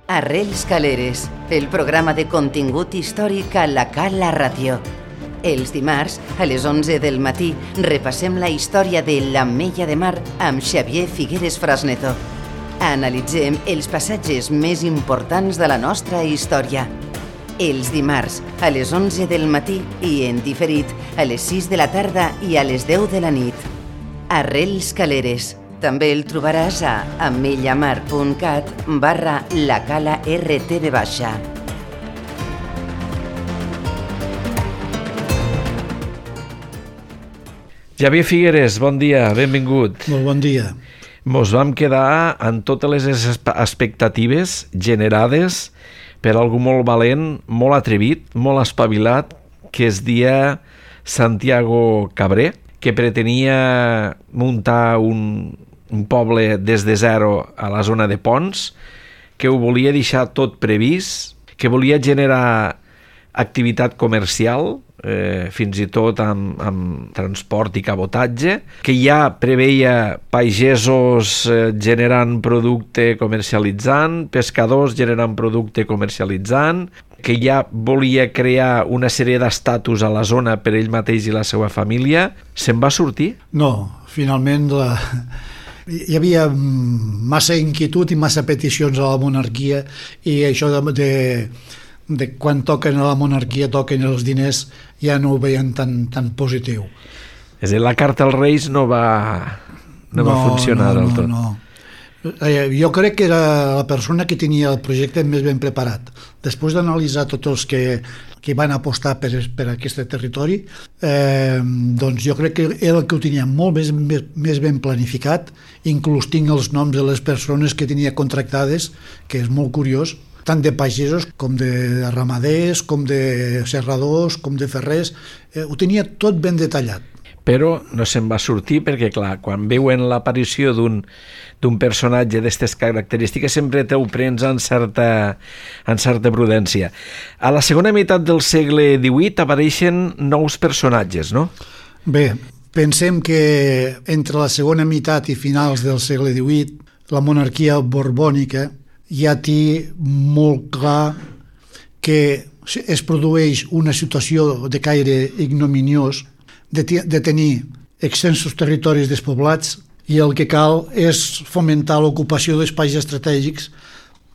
Arrels Caleres, el programa de contingut històric a la Cala Ràdio. Els dimarts, a les 11 del matí, repassem la història de l'Ametlla de Mar amb Xavier Figueres Frasneto. Analitzem els passatges més importants de la nostra història. Els dimarts, a les 11 del matí i en diferit, a les 6 de la tarda i a les 10 de la nit. Arrels Caleres. També el trobaràs a ametllamar.cat/lacala-rtv baixa. Xavier Figueres, bon dia, benvingut. Molt bon dia. Mos vam quedar amb totes les expectatives generades per algú molt valent, molt atrevit, molt espavilat, que es dia Santiago Cabré, que pretenia muntar un poble des de zero a la zona de Ponts, que ho volia deixar tot previst, que volia generar activitat comercial, fins i tot amb transport i cabotatge, que ja preveia pagesos generant producte comercialitzant, pescadors generant producte comercialitzant, que ja volia crear una sèrie d'estatus a la zona per ell mateix i la seva família. Se'n va sortir? No, finalment hi havia massa inquietud i massa peticions a la monarquia, i això de quan toquen a la monarquia, toquen els diners, ja no ho veien tan positiu. És a dir, la carta als Reis no va funcionar del tot. No. Jo crec que era la persona que tenia el projecte més ben preparat. Després d'analitzar tots els que van apostar per aquest territori, doncs jo crec que era el que ho tenia molt més ben planificat. Inclús tinc els noms de les persones que tenia contractades, que és molt curiós, tant de pagesos com de ramaders, com de serradors, com de ferrers. Ho tenia tot ben detallat. Però no se'n va sortir perquè, clar, quan veuen l'aparició d'un personatge d'aquestes característiques sempre te ho prens en certa prudència. A la segona meitat del segle XVIII apareixen nous personatges, no? Bé, pensem que entre la segona meitat i finals del segle XVIII la monarquia borbònica ja té molt clar que es produeix una situació de caire ignominiós, de tenir extensos territoris despoblats, i el que cal és fomentar l'ocupació d'espais estratègics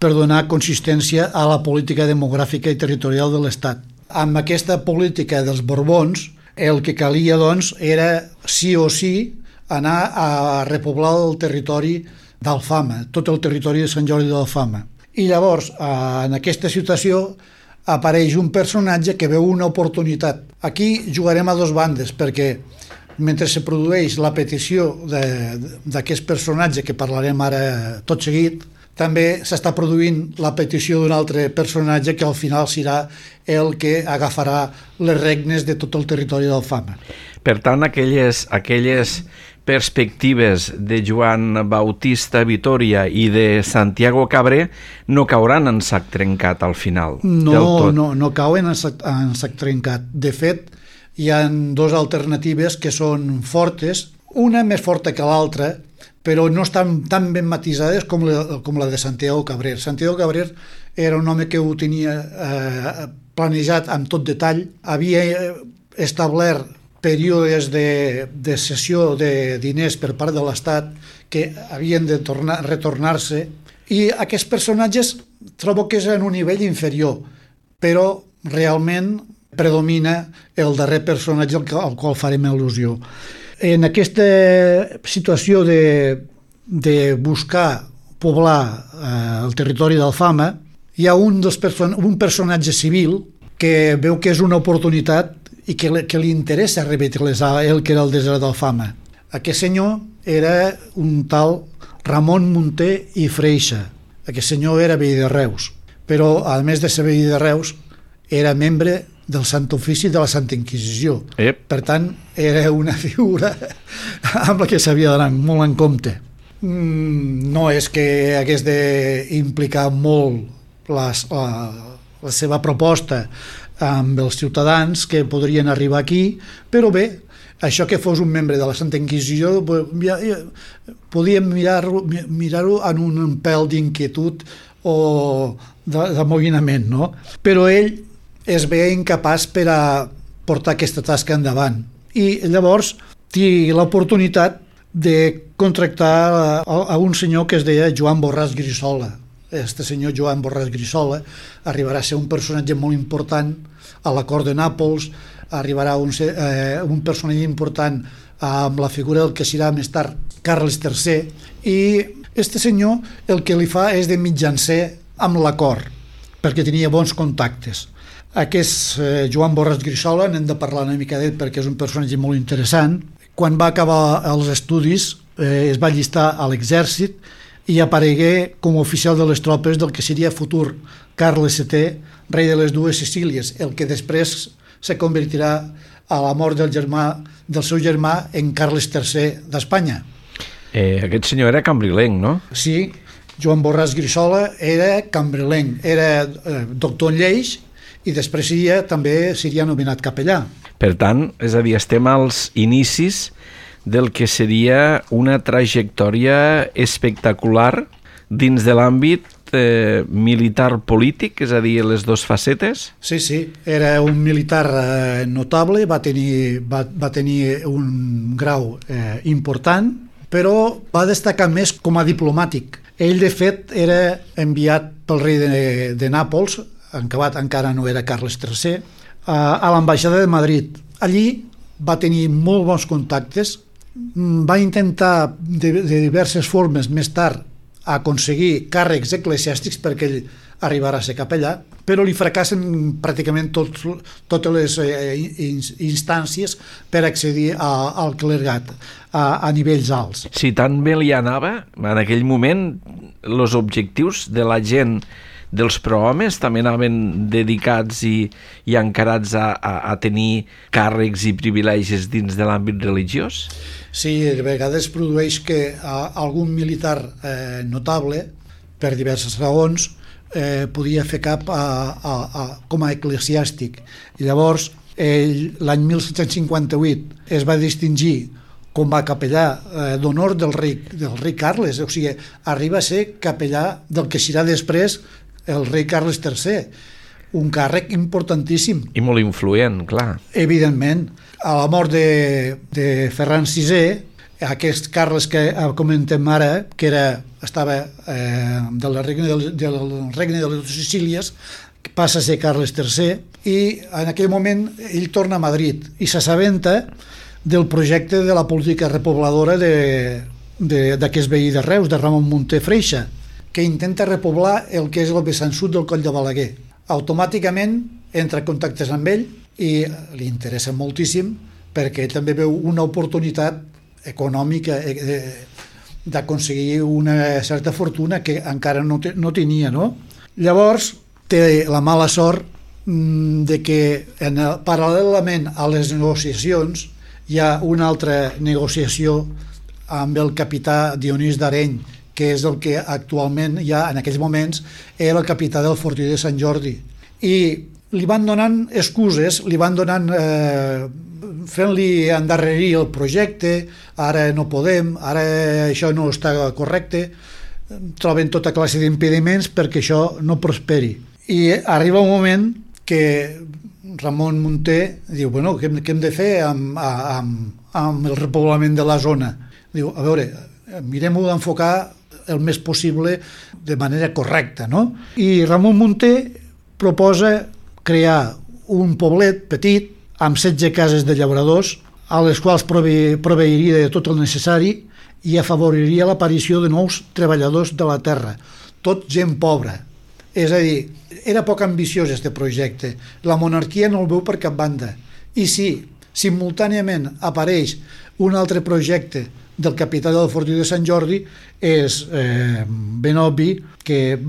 per donar consistència a la política demogràfica i territorial de l'Estat. Amb aquesta política dels Borbons, el que calia, doncs, era sí o sí anar a repoblar el territori d'Alfama, tot el territori de Sant Jordi d'Alfama. I llavors, en aquesta situació, apareix un personatge que veu una oportunitat. Aquí jugarem a dos bandes, perquè mentre se produeix la petició d'aquest personatge, que parlarem ara tot seguit, també s'està produint la petició d'un altre personatge que al final serà el que agafarà les regnes de tot el territori d'Alfama. Per tant, aquelles perspectives de Joan Bautista Vitòria i de Santiago Cabré no cauran en sac trencat al final. No cauen en sac trencat. De fet, hi ha dues alternatives que són fortes, una més forta que l'altra, però no estan tan ben matisades com la de Santiago Cabré. Santiago Cabré era un home que ho tenia planejat amb tot detall, havia establert períodes de cessió de diners per part de l'Estat que havien de retornar-se, i aquests personatges trobo que és en un nivell inferior, però realment predomina el darrer personatge al qual farem al·lusió. En aquesta situació de buscar poblar el territori d'Alfama, hi ha un personatge civil que veu que és una oportunitat i que li interessa revitalitzar el que era el desert d'Alfama. Aquest senyor era un tal Ramon Munter i Freixa. Aquest senyor era veí de Reus, però a més de ser veí de Reus era membre del Sant Ofici de la Santa Inquisició. Per tant, era una figura amb la que s'havia d'anar molt en compte. No és que hagués d'implicar molt la seva proposta amb els ciutadans que podrien arribar aquí, però bé, això que fos un membre de la Santa Inquisició podíem mirar-ho en un pèl d'inquietud o d'amoïnament, no? Però ell es veia incapaç per a portar aquesta tasca endavant. I llavors té l'oportunitat de contractar a un senyor que es deia Joan Borràs Grissola. Este senyor Joan Borràs Grissola arribarà a ser un personatge molt important a la cort de Nàpols, arribarà a un personatge important amb la figura del que serà més tard Carles III, i este senyor el que li fa és de mitjancer amb la cort, perquè tenia bons contactes. Aquest Joan Borràs Grissola, n'hem de parlar una mica d'ell perquè és un personatge molt interessant. Quan va acabar els estudis es va allistar a l'exèrcit i aparegué com a oficial de les tropes del que seria futur Carles VII, rei de les dues Sicílies, el que després se convertirà a la mort del seu germà en Carles III d'Espanya. Aquest senyor era cambrilenc, no? Sí, Joan Borràs Grissola era cambrilenc, era doctor en lleis i després també seria nomenat capellà. Per tant, és a dir, estem als inicis del que seria una trajectòria espectacular dins de l'àmbit militar-polític, és a dir, les dues facetes? Sí, era un militar notable, va tenir un grau important, però va destacar més com a diplomàtic. Ell, de fet, era enviat pel rei de Nàpols, encara no era Carles III, a l'ambaixada de Madrid. Allí va tenir molt bons contactes, va intentar de diverses formes més tard aconseguir càrrecs eclesiàstics perquè ell arribarà a ser capellà, però li fracassen pràcticament totes les instàncies per accedir al clergat a nivells alts. Si tan bé li anava, en aquell moment, els objectius de la gent dels prohomes també anaven dedicats i encarats a tenir càrrecs i privilegis dins de l'àmbit religiós? Sí, de vegades produeix que algun militar notable, per diverses raons, podia fer cap com a eclesiàstic. I llavors, l'any 1758 es va distingir com a capellà d'honor del rei Carles, o sigui, arriba a ser capellà del que serà després el rei Carles III, un càrrec importantíssim. I molt influent, clar. Evidentment. A la mort de Ferran VI, aquest Carles que comentem ara, que estava del regne de les Sicílies, passa a ser Carles III, i en aquell moment ell torna a Madrid i s'assabenta del projecte de la política repobladora d'aquest veí de Reus, de Ramon Munté Freixa, que intenta repoblar el que és el vessant sud del Coll de Balaguer. Automàticament entra en contactes amb ell i li interessa moltíssim perquè ell també veu una oportunitat econòmica d'aconseguir una certa fortuna que encara no tenia, no? Llavors té la mala sort de que paral·lelament a les negociacions hi ha una altra negociació amb el capità Dionís d'Areny, que és el que actualment ja en aquells moments era el capità del fortí de Sant Jordi. I li van donant excuses, li van donant fent-li endarrerir el projecte, ara no podem, ara això no està correcte, troben tota classe d'impediments perquè això no prosperi. I arriba un moment que Ramon Munté diu, bueno, què hem de fer amb el repoblament de la zona? Diu, a veure, mirem-ho d'enfocar el més possible de manera correcta, no? I Ramon Munté proposa crear un poblet petit amb 16 cases de llauradors a les quals proveiria de tot el necessari i afavoriria l'aparició de nous treballadors de la terra, tot gent pobra. És a dir, era poc ambiciós aquest projecte. La monarquia no el veu per cap banda. I si simultàniament apareix un altre projecte del capità del fortí de Sant Jordi, és ben obvi que a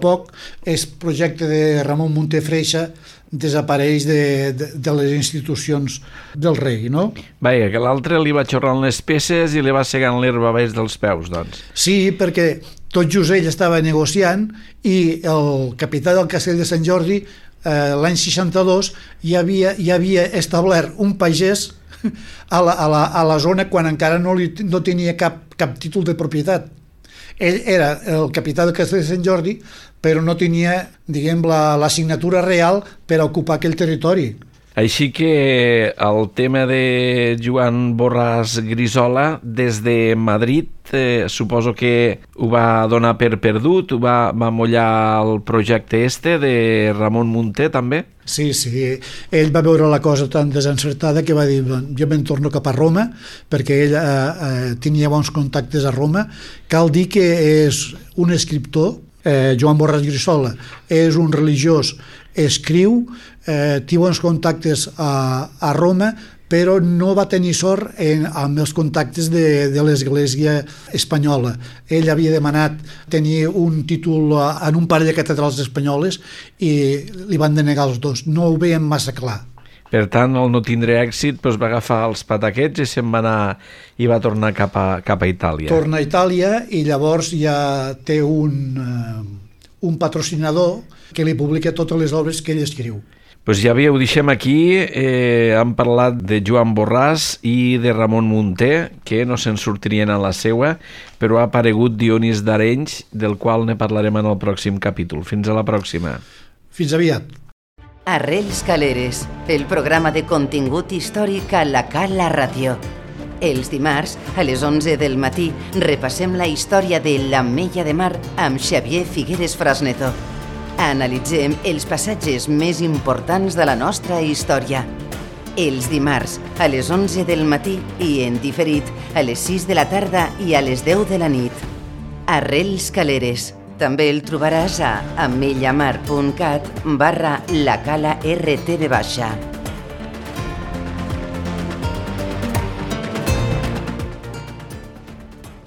poc el projecte de Ramon Munté Freixa desapareix de les institucions del rei, no? Vaja, que l'altre li va xorrant les peces i li va segant l'herba baix dels peus, doncs. Sí, perquè tot just ell estava negociant i el capità del castell de Sant Jordi l'any 62 ja havia establert un pagès a la zona quan encara no tenia cap títol de propietat. Ell era el capità del Castell de Sant Jordi, però no tenia, diguem, la signatura real per ocupar aquell territori. Així que el tema de Joan Borràs Grisola, des de Madrid, suposo que ho va donar per perdut, ho va mollar el projecte de Ramon Munté, també? Sí, ell va veure la cosa tan desencertada que va dir, jo me'n torno cap a Roma, perquè ell tenia bons contactes a Roma. Cal dir que és un escriptor, Joan Borràs Grisola, és un religiós, escriu, té bons contactes a Roma, però no va tenir sort amb els contactes de l'Església espanyola. Ell havia demanat tenir un títol en un parell de catedrals espanyoles i li van denegar els dos. No ho veien massa clar. Per tant, al no tindre èxit, doncs va agafar els pataquets i se'n va anar i va tornar cap a Itàlia. Torna a Itàlia i llavors ja té un patrocinador que li publica totes les obres que ell escriu. Doncs ja veieu, deixem aquí, hem parlat de Joan Borràs i de Ramon Munté, que no se'n sortirien a la seua, però ha aparegut Dionís d'Arenys, del qual ne parlarem en el pròxim capítol. Fins a la pròxima. Fins aviat. Arrels Caleres, el programa de contingut històric a la Cala Ràdio. Els dimarts, a les 11 del matí, repassem la història de l'Ametlla de Mar amb Xavier Figueres Frasneto. Analitzem els passatges més importants de la nostra història. Els dimarts, a les 11 del matí i en diferit a les 6 de la tarda i a les 10 de la nit. Arrels Caleres. També el trobaràs a ametllamar.cat/lacala RTV-.